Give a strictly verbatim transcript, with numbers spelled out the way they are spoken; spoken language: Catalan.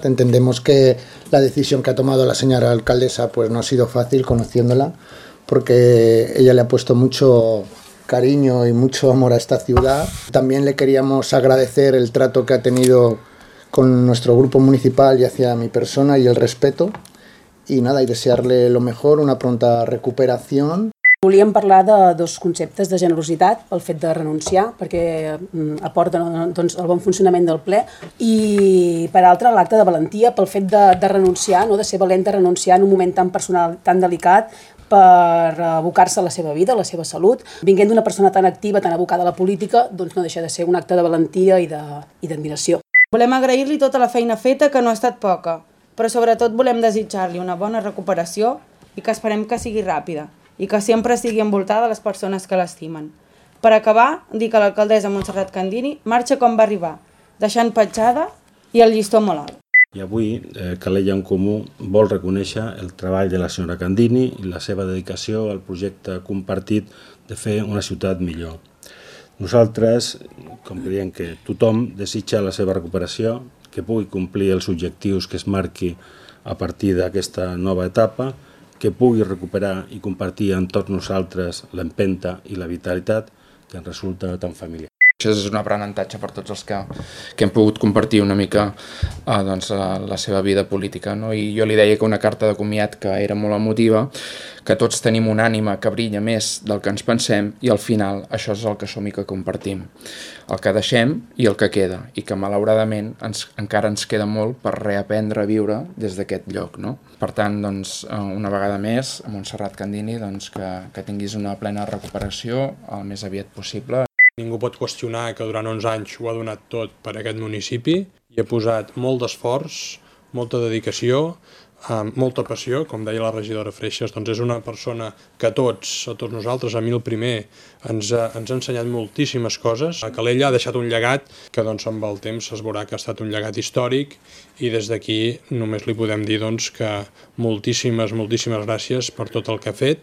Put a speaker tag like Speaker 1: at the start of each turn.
Speaker 1: Entendemos que la decisión que ha tomado la señora alcaldesa pues no ha sido fácil conociéndola, porque ella le ha puesto mucho cariño y mucho amor a esta ciudad. También le queríamos agradecer el trato que ha tenido con nuestro grupo municipal y hacia mi persona y el respeto. Y nada, y desearle lo mejor, una pronta recuperación.
Speaker 2: Volíem parlar de dos conceptes de generositat pel fet de renunciar, perquè aporta doncs, el bon funcionament del ple, i per altra l'acte de valentia pel fet de, de renunciar, no? De ser valent de renunciar en un moment tan personal, tan delicat, per abocar-se a la seva vida, a la seva salut. Vinguent d'una persona tan activa, tan abocada a la política, doncs no deixa de ser un acte de valentia i d'admiració.
Speaker 3: Volem agrair-li tota la feina feta, que no ha estat poca, però sobretot volem desitjar-li una bona recuperació i que esperem que sigui ràpida i que sempre sigui envoltada de les persones que l'estimen. Per acabar, dir que l'alcaldessa Montserrat Candini marxa com va arribar, deixant petjada i el llistó molt alt.
Speaker 4: I avui eh, Calella en Comú vol reconèixer el treball de la senyora Candini i la seva dedicació al projecte compartit de fer una ciutat millor. Nosaltres, com creiem que tothom desitja la seva recuperació, que pugui complir els objectius que es marqui a partir d'aquesta nova etapa, que pugui recuperar i compartir amb tots nosaltres l'empenta i la vitalitat que ens resulta tan familiar.
Speaker 5: Això és un aprenentatge per tots els que, que hem pogut compartir una mica eh, doncs, la seva vida política. No? I jo li deia que una carta de comiat que era molt emotiva, que tots tenim una ànima que brilla més del que ens pensem i al final això és el que som i que compartim. El que deixem i el que queda, i que malauradament ens, encara ens queda molt per reaprendre a viure des d'aquest lloc. No? Per tant, doncs, una vegada més, a Montserrat Candini, doncs, que, que tinguis una plena recuperació el més aviat possible.
Speaker 6: Ningú pot qüestionar que durant onze anys ho ha donat tot per a aquest municipi i ha posat molt d'esforç, molta dedicació, amb molta passió, com deia la regidora Freixas, doncs és una persona que a tots, a tots nosaltres, a mi el primer, ens ha, ens ha ensenyat moltíssimes coses. A Calella ha deixat un llegat que doncs, amb el temps es veurà que ha estat un llegat històric i des d'aquí només li podem dir doncs, que moltíssimes, moltíssimes gràcies per tot el que ha fet.